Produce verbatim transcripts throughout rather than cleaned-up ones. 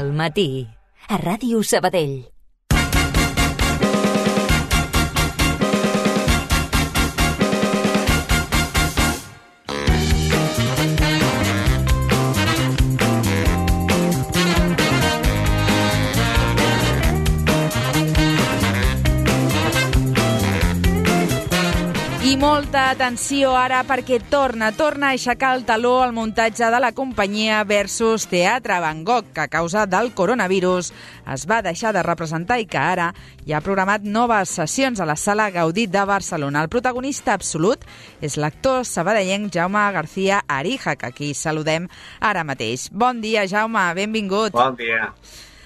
Al matí, a Ràdio Sabadell. I molta atenció ara perquè torna, torna a aixecar el taló al muntatge de la companyia Versus Teatre Van Gogh, que a causa del coronavirus es va deixar de representar i que ara ja ha programat noves sessions a la Sala Gaudí de Barcelona. El protagonista absolut és l'actor sabadellenc Jaume García Arija, que aquí saludem ara mateix. Bon dia, Jaume, benvingut. Bon dia.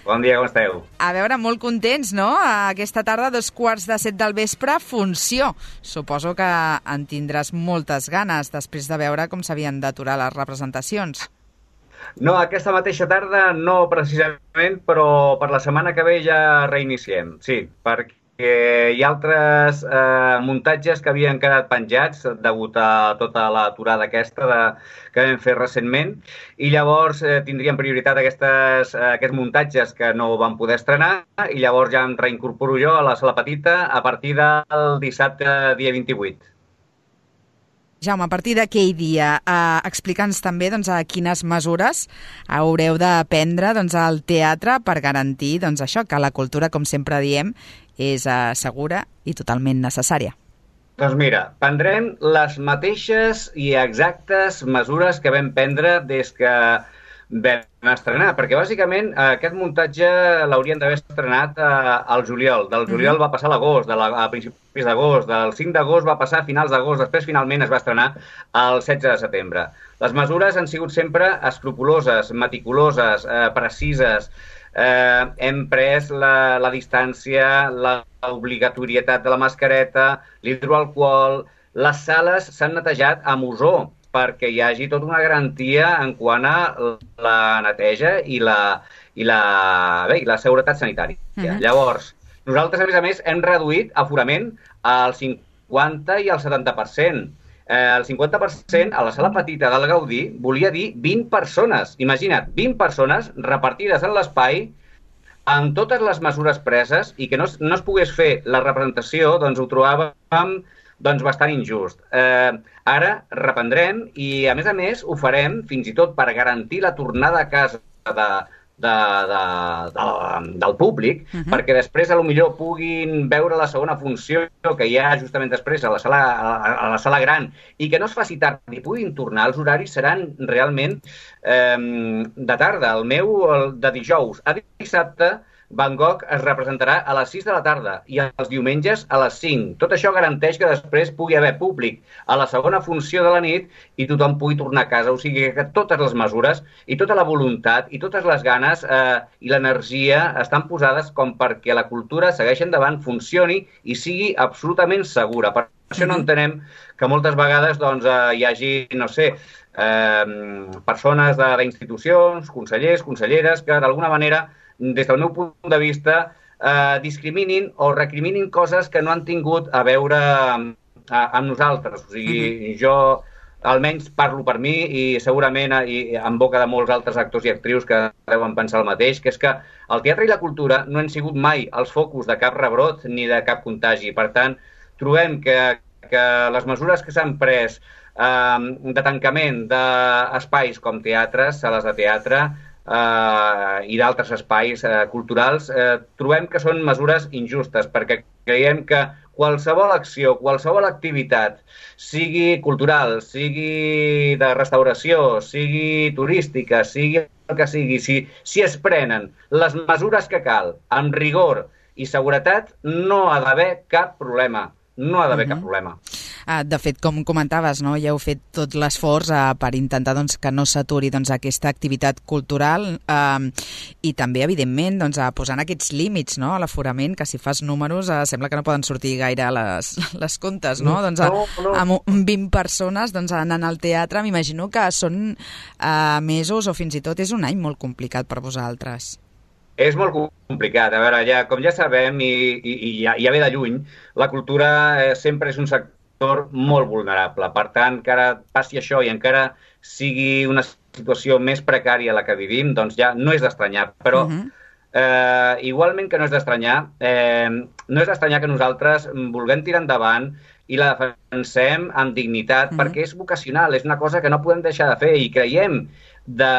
Bon dia, com esteu? A veure, molt contents, no? Aquesta tarda, dos quarts de set del vespre, funció. Suposo que en tindràs moltes ganes després de veure com s'havien d'aturar les representacions. No, aquesta mateixa tarda no precisament, però per la setmana que ve ja reiniciem, sí, perquè hi ha altres eh, muntatges que havien quedat penjats degut a tota l'aturada aquesta de, que vam fer recentment, i llavors eh, tindrien prioritat aquestes, eh, aquests muntatges que no van poder estrenar, i llavors ja em reincorporo jo a la sala petita a partir del dissabte dia vint-i-vuit. Jaume, a partir d'aquell dia, eh, explica'ns també doncs, a quines mesures haureu de prendre doncs, al teatre per garantir doncs, això, que la cultura, com sempre diem, és eh, segura i totalment necessària. Doncs mira, prendrem les mateixes i exactes mesures que vam prendre des que vam estrenar, perquè bàsicament aquest muntatge l'haurien d'haver estrenat eh, al juliol. Del juliol va passar a l'agost, de la, a principis d'agost, del cinc d'agost va passar a finals d'agost, després finalment es va estrenar el setze de setembre. Les mesures han sigut sempre escrupoloses, meticuloses, eh, precises. Eh, hem pres la, la distància, l'obligatorietat de la mascareta, l'hidroalcohol. Les sales s'han netejat amb ozó, perquè hi hagi tota una garantia en quant a la neteja i la, i la, bé, i la seguretat sanitària. Uh-huh. Llavors, nosaltres, a més a més, hem reduït aforament al cinquanta i al setanta per cent. Eh, el cinquanta per cent a la sala petita del Gaudí volia dir vint persones. Imagina't, vint persones repartides en l'espai amb totes les mesures preses i que no, no es pogués fer la representació, doncs ho trobàvem doncs bastant injust. Eh, ara reprendrem i, a més a més, ho farem fins i tot per garantir la tornada a casa de, de, de, de, del públic, uh-huh. perquè després a lo millor puguin veure la segona funció que hi ha justament després a la sala, a, a la sala gran i que no es faci tard i puguin tornar. Els horaris seran realment eh, de tarda. El meu, el de dijous a dissabte, Van Gogh es representarà a les sis de la tarda i els diumenges a les cinc. Tot això garanteix que després pugui haver públic a la segona funció de la nit i tothom pugui tornar a casa. O sigui que totes les mesures i tota la voluntat i totes les ganes eh, i l'energia estan posades com perquè la cultura segueixi endavant, funcioni i sigui absolutament segura. Per això no entenem que moltes vegades doncs, eh, hi hagi, no sé, eh, persones d'institucions, consellers, conselleres, que d'alguna manera des del meu punt de vista, eh, discriminin o recriminin coses que no han tingut a veure amb, amb nosaltres. O sigui, uh-huh. jo almenys parlo per mi i segurament i en boca de molts altres actors i actrius que deuen pensar el mateix, que és que el teatre i la cultura no han sigut mai els focus de cap rebrot ni de cap contagi. Per tant, trobem que, que les mesures que s'han pres eh, de tancament d'espais com teatres, sales de teatre, Uh, i d'altres espais uh, culturals, uh, trobem que són mesures injustes, perquè creiem que qualsevol acció, qualsevol activitat, sigui cultural, sigui de restauració, sigui turística, sigui el que sigui, si, si es prenen les mesures que cal, amb rigor i seguretat, no ha d'haver cap problema. No ha d'haver uh-huh. cap problema. De fet, com comentaves, no? Ja heu fet tot l'esforç eh, per intentar doncs, que no s'aturi doncs, aquesta activitat cultural eh, i també, evidentment, doncs, a posant aquests límits, no? A l'aforament, que si fas números eh, sembla que no poden sortir gaire les, les comptes, no? no doncs, a, no, no. Amb vint persones doncs, anant al teatre, m'imagino que són eh, mesos o fins i tot és un any molt complicat per vosaltres. És molt complicat. A veure, ja, com ja sabem i, i, i ja, ja ve de lluny, la cultura eh, sempre és un sector molt vulnerable. Per tant, encara passi això i encara sigui una situació més precària a la que vivim, doncs ja no és d'estranyar, però uh-huh. eh, igualment que no és d'estranyar, eh, no és d'estranyar que nosaltres vulguem tirar endavant i la defensem amb dignitat, uh-huh. perquè és vocacional, és una cosa que no podem deixar de fer i creiem, de,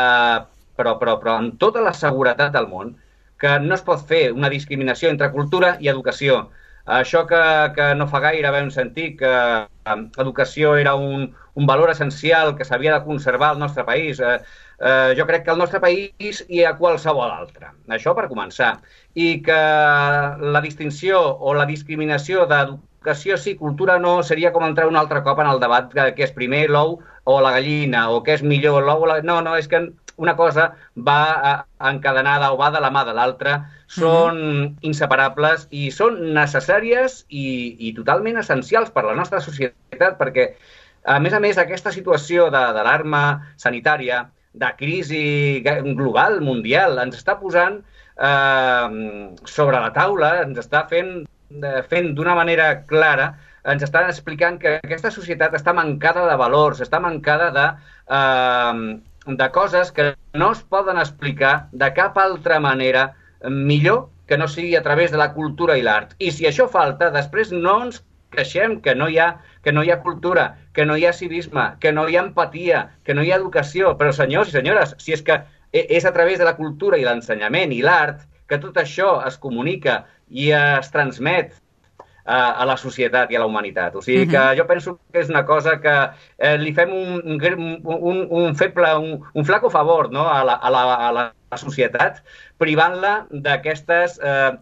però, però, però amb tota la seguretat del món, que no es pot fer una discriminació entre cultura i educació. Això que, que no fa gaire vam sentir que l'educació era un, un valor essencial que s'havia de conservar al nostre país. Eh, eh, jo crec que al nostre país hi ha qualsevol altre. Això per començar. I que la distinció o la discriminació d'educació sí, cultura no, seria com entrar un altre cop en el debat que, que és primer l'ou o la gallina, o que és millor l'ou o la... No, no, és que una cosa va encadenada o va de la mà de l'altra, són mm-hmm. inseparables i són necessàries i, i totalment essencials per a la nostra societat, perquè, a més a més, aquesta situació de, d'alarma sanitària, de crisi global, mundial, ens està posant eh, sobre la taula, ens està fent, fent d'una manera clara, ens està explicant que aquesta societat està mancada de valors, està mancada de... Eh, de coses que no es poden explicar de cap altra manera millor que no sigui a través de la cultura i l'art. I si això falta, després no ens queixem que no hi ha, que no hi ha cultura, que no hi ha civisme, que no hi ha empatia, que no hi ha educació. Però, senyors i senyores, si és que és a través de la cultura i l'ensenyament i l'art que tot això es comunica i es transmet a la societat i a la humanitat. O sigui que jo penso que és una cosa que eh, li fem un, un, un feble, un, un flaco favor, no? a, la, a, la, a la societat, privant-la d'aquestes eh,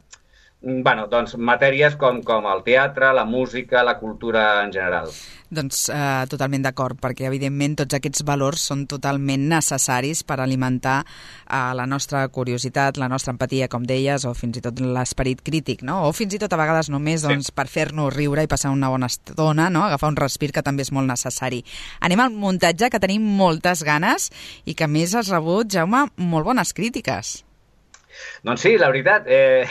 bueno, doncs, matèries com, com el teatre, la música, la cultura en general. Doncs eh, totalment d'acord, perquè evidentment tots aquests valors són totalment necessaris per alimentar eh, la nostra curiositat, la nostra empatia, com deies, o fins i tot l'esperit crític, no? O fins i tot a vegades només doncs, sí. per fer-nos riure i passar una bona estona, no? Agafar un respir, que també és molt necessari. Anem al muntatge, que tenim moltes ganes i que a més has rebut, Jaume, molt bones crítiques. Doncs sí, la veritat, eh,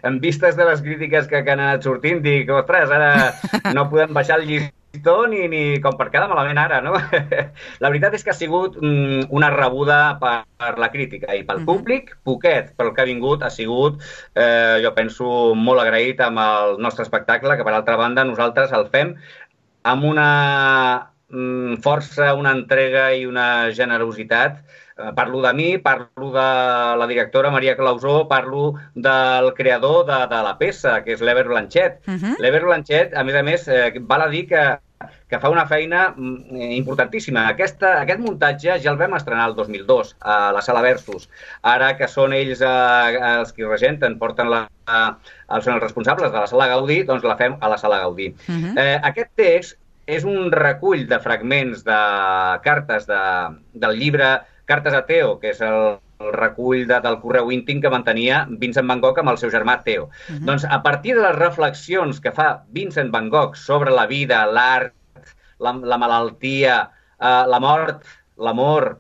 en vistes de les crítiques que, que han anat sortint, dic, ostres, ara no podem baixar el llistó ni, ni com per quedar malament ara, no? La veritat és que ha sigut mm, una rebuda per, per la crítica i pel uh-huh. públic, poquet, pel que ha vingut, ha sigut, eh, jo penso, molt agraït amb el nostre espectacle, que per altra banda nosaltres el fem amb una mm, força, una entrega i una generositat. Parlo de mi, parlo de la directora Maria Clausó, parlo del creador de, de la peça, que és l'Ever Blanchet. Uh-huh. L'Ever Blanchet, a més a més, eh, val a dir que, que fa una feina importantíssima. Aquesta, aquest muntatge ja el vam estrenar el dos mil dos a la Sala Versus. Ara que són ells eh, els qui regenten, porten la, eh, són els responsables de la Sala Gaudí, doncs la fem a la Sala Gaudí. Uh-huh. eh, aquest text és un recull de fragments de cartes de, del llibre Cartes a Theo, que és el, el recull de, del correu íntim que mantenia Vincent van Gogh amb el seu germà Theo. Uh-huh. Doncs a partir de les reflexions que fa Vincent van Gogh sobre la vida, l'art, la, la malaltia, eh, la mort, l'amor,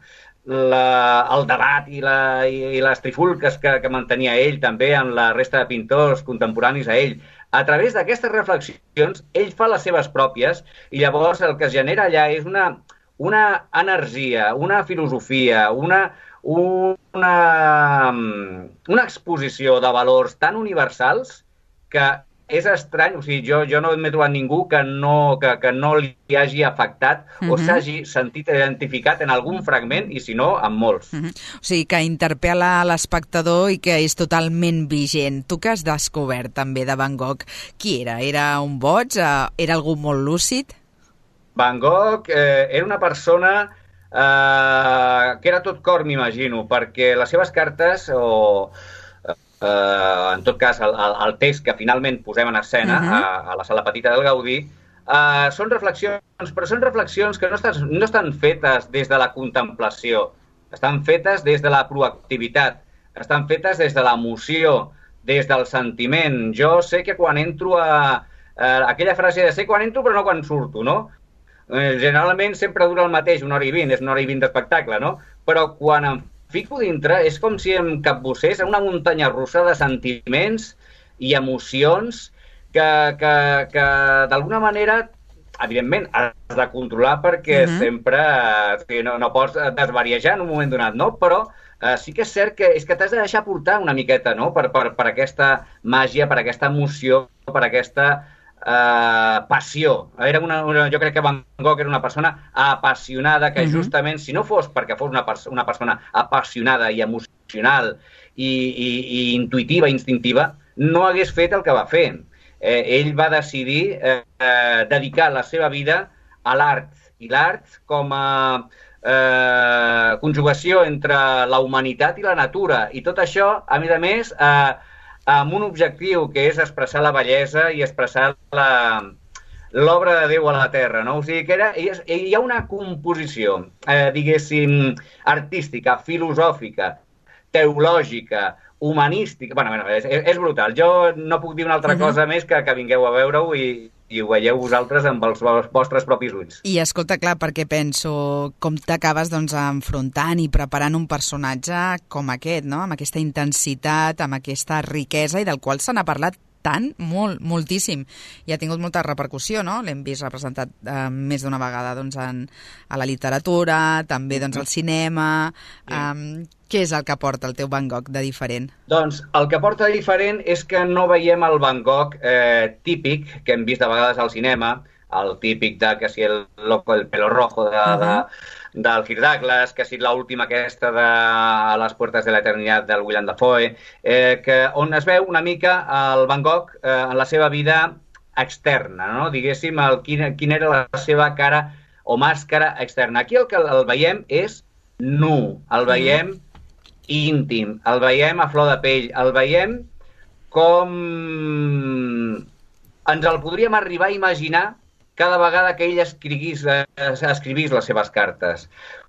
la, el debat i, la, i, i les trifulques que, que mantenia ell també amb la resta de pintors contemporanis a ell, a través d'aquestes reflexions ell fa les seves pròpies i llavors el que es genera allà és una... una energia, una filosofia, una, una, una exposició de valors tan universals que és estrany, o sigui, jo, jo no m'he trobat ningú que no, que, que no li hagi afectat uh-huh. o s'hagi sentit identificat en algun fragment i, si no, en molts. Uh-huh. O sigui, que interpel·la l'espectador i que és totalment vigent. Tu que has descobert també de Van Gogh, qui era? Era un boig? Era algú molt lúcid? Van Gogh eh, era una persona eh, que era tot cor, m'imagino, perquè les seves cartes, o eh, en tot cas el, el text que finalment posem en escena uh-huh. a, a la Sala Petita del Gaudí, eh, són reflexions, però són reflexions que no estan, no estan fetes des de la contemplació, estan fetes des de la proactivitat, estan fetes des de l'emoció, des del sentiment. Jo sé que quan entro a... Eh, aquella frase de sé quan entro però no quan surto, no? Generalment sempre dura el mateix, una hora i vint, és una hora i vint d'espectacle, no? Però quan em fico dintre és com si em capbussés en una muntanya russa de sentiments i emocions que, que, que d'alguna manera evidentment, has de controlar perquè uh-huh. sempre eh, no, no pots desvariejar en un moment donat, no? Però eh, sí que és cert que és que t'has de deixar portar una miqueta, no? Per, per, per aquesta màgia, per aquesta emoció, per aquesta eh, passió. Era una, una, jo crec que Van Gogh era una persona apassionada que uh-huh. justament, si no fos perquè fos una, pers una persona apassionada i emocional i, i, i intuïtiva, instintiva, no hagués fet el que va fer. Eh, ell va decidir eh, eh, dedicar la seva vida a l'art, i l'art com a eh, conjugació entre la humanitat i la natura, i tot això, a més a més, eh, amb un objectiu que és expressar la bellesa i expressar l'obra de Déu a la Terra, no? O sigui que era, hi ha una composició, eh, diguéssim, artística, filosòfica, teològica, humanística... Bueno, bueno és, és brutal. Jo no puc dir una altra uh-huh. cosa més que que vingueu a veure-ho i, i ho veieu vosaltres amb els vostres propis ulls. I escolta, clar, perquè penso com t'acabes doncs, enfrontant i preparant un personatge com aquest, no? Amb aquesta intensitat, amb aquesta riquesa i del qual se n'ha parlat tant, molt, moltíssim. I ha tingut molta repercussió, no? L'hem vist representat eh, més d'una vegada doncs, en, a la literatura, també doncs, al cinema... Sí. Um, què és el que porta el teu Van Gogh de diferent? Doncs el que porta de diferent és que no veiem el Van Gogh eh, típic que hem vist de vegades al cinema, el típic de que si el loco del pelo rojo de, uh-huh. de, del Kirk Douglas, que si l'última aquesta de A les puertas de la eternitat del Willem Dafoe, eh, que on es veu una mica el Van Gogh eh, en la seva vida externa, no? Diguéssim, el, quin, quin era la seva cara o màscara externa. Aquí el que el veiem és nu, el veiem uh-huh. íntim, el veiem a flor de pell, el veiem com ens el podríem arribar a imaginar cada vegada que ell escrivís, eh, escrivís les seves cartes.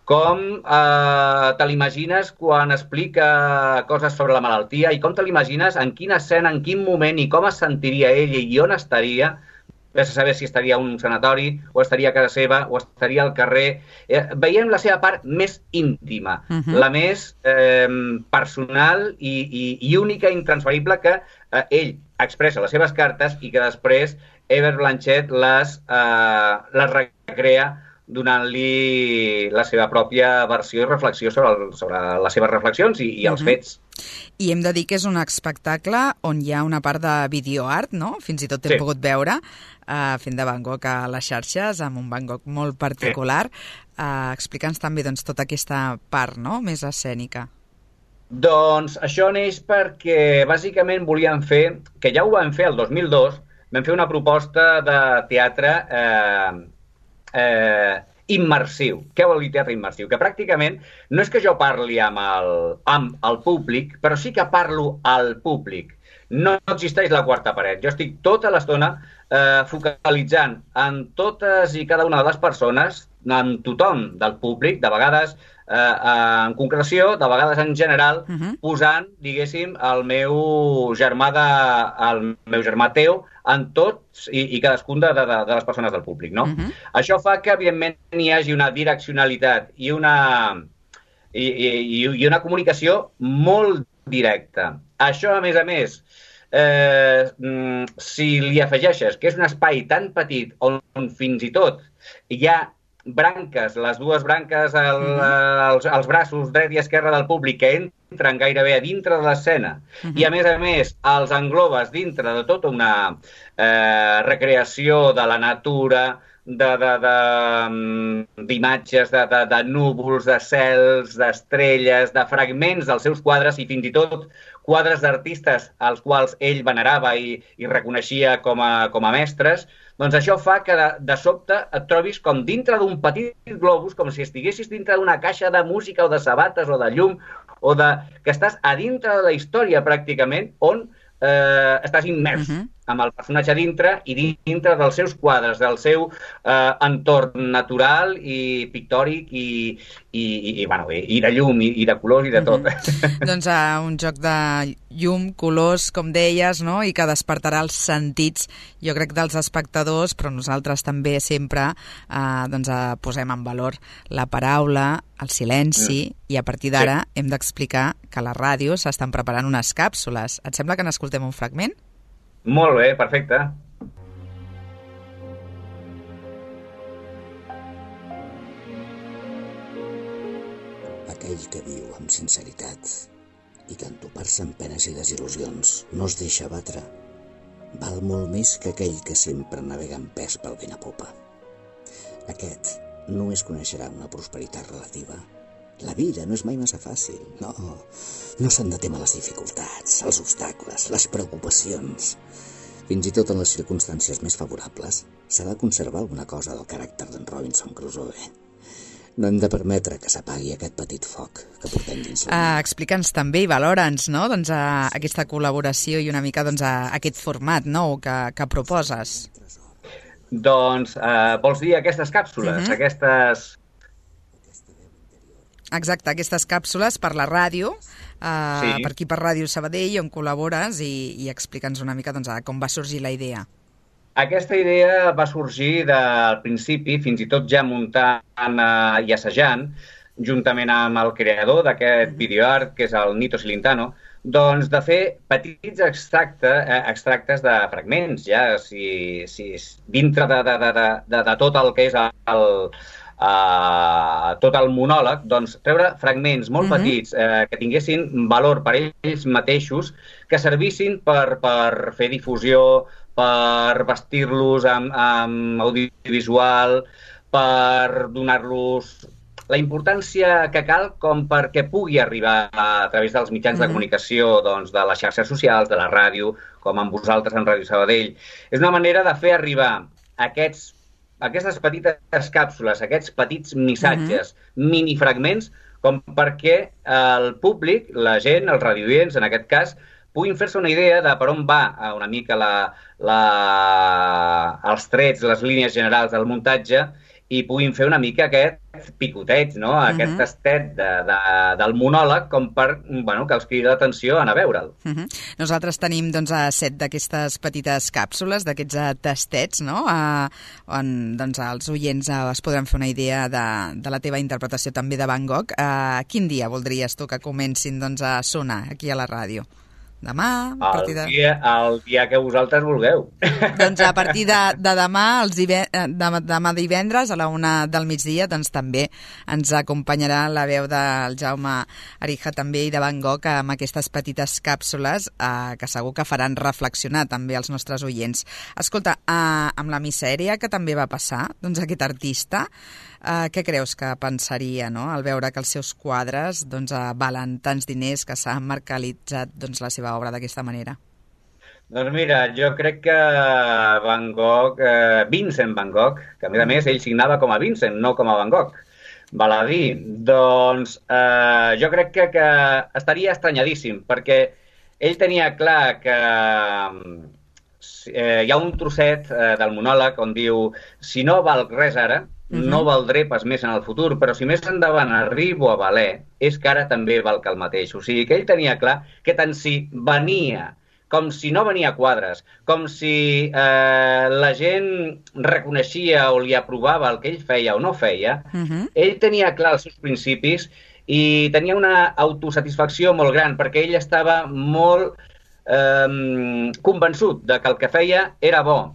Com eh, te l'imagines quan explica coses sobre la malaltia i com te l'imagines en quina escena, en quin moment i com es sentiria ell i on estaria. Ves a saber si estaria a un sanatori, o estaria a casa seva, o estaria al carrer. Eh, veiem la seva part més íntima, uh-huh. la més eh, personal i, i, i única, intransferible, que eh, ell expressa les seves cartes i que després Ever Blanchett les, eh, les recrea donant-li la seva pròpia versió i reflexió sobre, el, sobre les seves reflexions i, i els uh-huh. fets. I hem de dir que és un espectacle on hi ha una part de videoart, no? Fins i tot hem sí. pogut veure uh, fent de Van Gogh a les xarxes, amb un Van Gogh molt particular. Sí. Uh, Explica'ns també doncs, tota aquesta part, no?, més escènica. Doncs això neix perquè bàsicament volíem fer, que ja ho vam fer el dos mil dos, vam fer una proposta de teatre eh, eh, immersiu. Què vol dir teatre immersiu? Que pràcticament no és que jo parli amb el, amb el públic, però sí que parlo al públic. No existeix la quarta paret. Jo estic tota l'estona eh, focalitzant en totes i cada una de les persones, en tothom del públic, de vegades eh, en concreció, de vegades en general, uh-huh. posant, diguéssim, el meu germà de, el meu germà Teo en tots i, i cadascun de, de, de les persones del públic, no? Uh-huh. Això fa que, evidentment, hi hagi una direccionalitat i una, i, i, i una comunicació molt directa. Això, a més a més, eh, si li afegeixes que és un espai tan petit on, on fins i tot hi ha branques, les dues branques, el, els, els braços dret i esquerre del públic que entren gairebé a dintre de l'escena uh-huh. i a més a més els englobes dintre de tota una eh, recreació de la natura, de, de, de, d'imatges, de, de, de núvols, de cels, d'estrelles, de fragments dels seus quadres i fins i tot quadres d'artistes als quals ell venerava i, i reconeixia com a, com a mestres, doncs això fa que de, de sobte et trobis com dintre d'un petit globus, com si estiguessis dintre d'una caixa de música o de sabates o de llum, o de, que estàs a dintre de la història pràcticament, on eh, estàs immers uh-huh. amb el personatge dintre i dintre dels seus quadres, del seu eh, entorn natural i pictòric i, i, i, i, bueno, i, i de llum i, i de colors i de tot. Uh-huh. Doncs uh, un joc de llum, colors, com deies, no? I que despertarà els sentits, jo crec, dels espectadors, però nosaltres també sempre eh, doncs, uh, posem en valor la paraula, el silenci, mm. i a partir d'ara sí. hem d'explicar que a la ràdio s'estan preparant unes càpsules. Et sembla que n'escoltem un fragment? Molt bé, perfecte. aquell que viu amb sinceritat i que entopar-se amb penes i desil·lusions no es deixa batre, val molt més que aquell que sempre navega en pes pel vent a popa. Aquest només coneixerà una prosperitat relativa. La vida no és mai massa fàcil, no. No s'han de temer les dificultats, els obstacles, les preocupacions. Fins i tot en les circumstàncies més favorables s'ha de conservar alguna cosa del caràcter d'en Robinson Crusoe. No hem de permetre que s'apagui aquest petit foc que portem dins la uh, Explica'ns també i valora'ns, no? doncs, uh, aquesta col·laboració i una mica doncs, uh, aquest format nou que, que proposes. Doncs uh, vols dir aquestes càpsules, uh-huh. aquestes... Exacte, aquestes càpsules per la ràdio, uh, sí. per aquí per Ràdio Sabadell, on col·labores, i, i explica'ns una mica doncs, com va sorgir la idea. Aquesta idea va sorgir del principi, fins i tot ja muntant uh, i assajant, juntament amb el creador d'aquest videoart, que és el Nito Silintano, doncs de fer petits extracte, eh, extractes de fragments, ja, si, si dintre de, de, de, de, de tot el que és el, uh, tot el monòleg, doncs treure fragments molt mm-hmm. petits eh, que tinguessin valor per ells mateixos, que servissin per, per fer difusió, per vestir-los amb, amb audiovisual, per donar-los la importància que cal com perquè pugui arribar a través dels mitjans mm-hmm. de comunicació, doncs, de les xarxes socials, de la ràdio, com amb vosaltres en Ràdio Sabadell. És una manera de fer arribar aquests, aquestes petites càpsules, aquests petits missatges, mm-hmm. minifragments, com perquè el públic, la gent, els radioients, en aquest cas, puguin fer-se una idea de per on va una mica la, la, els trets, les línies generals del muntatge i puguin fer una mica aquest picoteig, no? Uh-huh. Aquest tastet de, de, del monòleg com per, bueno, que els cridi l'atenció a anar a veure'l. Uh-huh. Nosaltres tenim doncs, set d'aquestes petites càpsules, d'aquests tastets, no? Uh, on doncs, els oients uh, es podran fer una idea de, de la teva interpretació també de Van Gogh. Uh, quin dia voldries tu que comencin doncs, a sonar aquí a la ràdio? Demà? A partir de... el, dia, el dia que vosaltres vulgueu. Doncs a partir de, de demà, els dive... de, demà divendres, a la una del migdia, doncs també ens acompanyarà la veu del Jaume Arija també i de Van Gogh amb aquestes petites càpsules eh, que segur que faran reflexionar també els nostres oients. Escolta, eh, amb la misèria que també va passar, doncs aquest artista, Uh, què creus que pensaria, no?, al veure que els seus quadres doncs, uh, valen tants diners, que s'ha mercantilitzat doncs, la seva obra d'aquesta manera? Doncs mira, jo crec que Van Gogh, eh, Vincent Van Gogh, que a més a més ell signava com a Vincent, no com a Van Gogh, val a dir, doncs eh, jo crec que, que estaria estranyadíssim, perquè ell tenia clar que eh, hi ha un trosset eh, del monòleg on diu si no val res ara, no valdré pas més en el futur, però si més endavant arribo a valer, és que ara també val que el mateix. O sigui que ell tenia clar que tant si venia, com si no venia a quadres, com si eh, la gent reconeixia o li aprovava el que ell feia o no feia, uh-huh. ell tenia clar els seus principis i tenia una autosatisfacció molt gran, perquè ell estava molt eh, convençut de que el que feia era bo.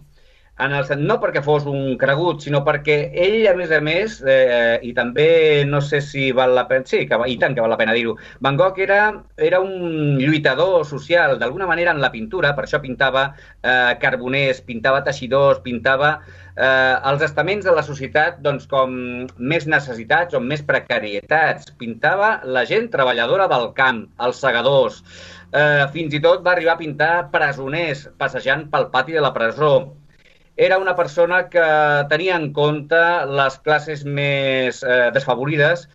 En el, no perquè fos un cregut, sinó perquè ell, a més a més, eh, i també no sé si val la pena, sí, que, i tant que val la pena dir-ho, Van Gogh era, era un lluitador social, d'alguna manera en la pintura, per això pintava eh, carboners, pintava teixidors, pintava eh, els estaments de la societat doncs, com més necessitats o més precarietats, pintava la gent treballadora del camp, els segadors, eh, fins i tot va arribar a pintar presoners passejant pel pati de la presó. Era una persona que tenia en compte les classes més eh, desfavorides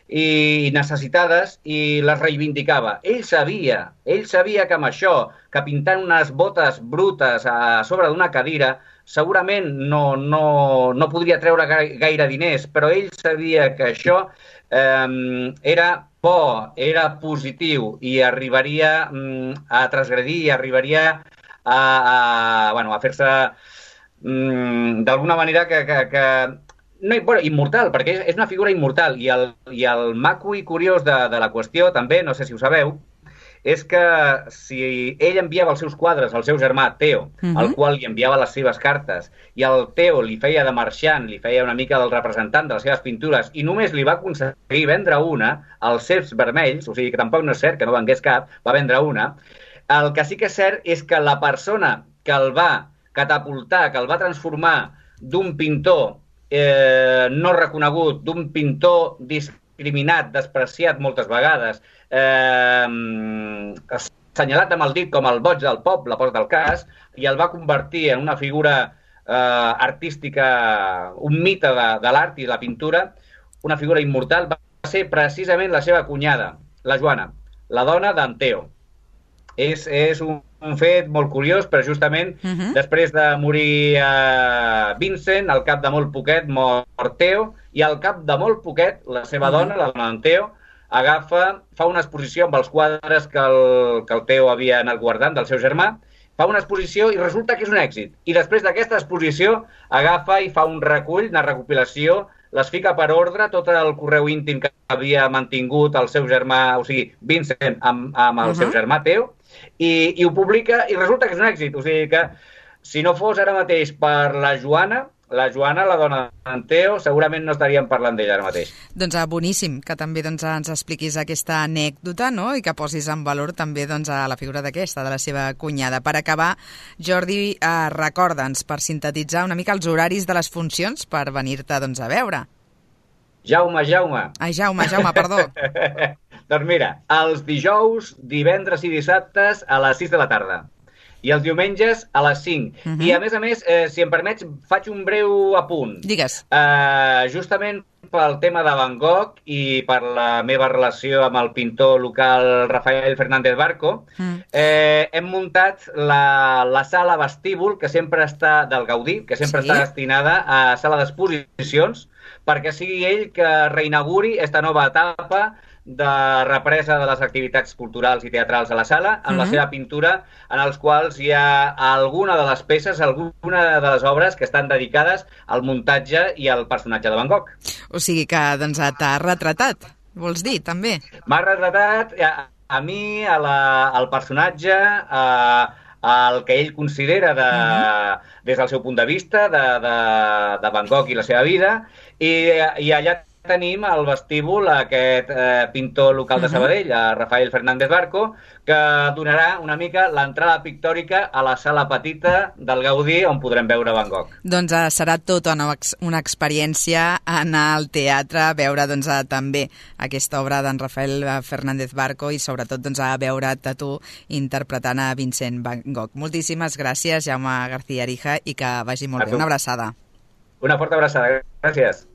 i necessitades i les reivindicava. Ell sabia, ell sabia que amb això, que pintant unes botes brutes a sobre d'una cadira, segurament no, no, no podria treure gaire diners, però ell sabia que això eh, era bo, era positiu i arribaria mm, a transgredir, arribaria a, a, bueno, a fer-se mm, d'alguna manera que... que, que no, bueno, immortal, perquè és, és una figura immortal i el, i el maco i curiós de, de la qüestió també, no sé si ho sabeu, és que si ell enviava els seus quadres al seu germà Theo, uh-huh. al qual li enviava les seves cartes, i el Theo li feia de marxant, li feia una mica del representant de les seves pintures, i només li va aconseguir vendre una, als ceps vermells, o sigui que tampoc no és cert que no vengués cap, va vendre una. El que sí que és cert és que la persona que el va catapultar, que el va transformar d'un pintor eh, no reconegut, d'un pintor discriminat, despreciat moltes vegades, eh, assenyalat amb el dit com el boig del poble, post del cas, i el va convertir en una figura eh, artística, un mite de, de l'art i la pintura, una figura immortal, va ser precisament la seva cunyada, la Joana, la dona d'en Theo. És, és un, un fet molt curiós, però justament uh-huh. després de morir eh, Vincent, al cap de molt poquet mor Theo, i al cap de molt poquet la seva uh-huh. dona, la dona d'en Theo, agafa, fa una exposició amb els quadres que el, que el Theo havia anat guardant del seu germà, fa una exposició i resulta que és un èxit. I després d'aquesta exposició agafa i fa un recull, una recopilació, les fica per ordre, tot el correu íntim que havia mantingut el seu germà, o sigui, Vincent, amb, amb el uh-huh. seu germà Theo, i, i ho publica i resulta que és un èxit. O sigui que si no fos ara mateix per la Joana, la Joana, la dona d'en Theo, segurament no estaríem parlant d'ella ara mateix. Doncs boníssim que també doncs, ens expliquis aquesta anècdota, no? I que posis en valor també doncs, a la figura d'aquesta, de la seva cunyada. Per acabar, Jordi, eh, recorda'ns, per sintetitzar una mica els horaris de les funcions per venir-te doncs, a veure. Jaume, Jaume. Ai, Jaume, Jaume, perdó. Doncs mira, els dijous, divendres i dissabtes a les sis de la tarda. I els diumenges a les cinc. Uh-huh. I a més a més, eh, si em permets, faig un breu apunt. Digues. Eh, justament pel tema de Van Gogh i per la meva relació amb el pintor local Rafael Fernández Barco, uh-huh. eh, hem muntat la, la sala vestíbul que sempre està del Gaudí, que sempre sí? està destinada a sala d'exposicions, perquè sigui ell que reinauguri esta nova etapa de represa de les activitats culturals i teatrals a la sala, amb uh-huh. la seva pintura, en els quals hi ha alguna de les peces, alguna de les obres que estan dedicades al muntatge i al personatge de Van Gogh. O sigui que doncs, t'ha retratat, vols dir, també? M'ha retratat a, a mi, a la, al personatge, a, el que ell considera de, uh-huh. des del seu punt de vista de, de, de Van Gogh i la seva vida, i, i allà tenim al vestíbul aquest eh, pintor local de Sabadell, uh-huh. Rafael Fernández Barco, que donarà una mica l'entrada pictòrica a la sala petita del Gaudí on podrem veure Van Gogh. Doncs eh, serà tota una, una experiència anar al teatre, veure doncs, eh, també aquesta obra d'en Rafael Fernández Barco i sobretot doncs, a veure't a tu interpretant a Vincent Van Gogh. Moltíssimes gràcies, Jaume García Arija, i que vagi molt bé. Una abraçada. Una forta abraçada. Gràcies.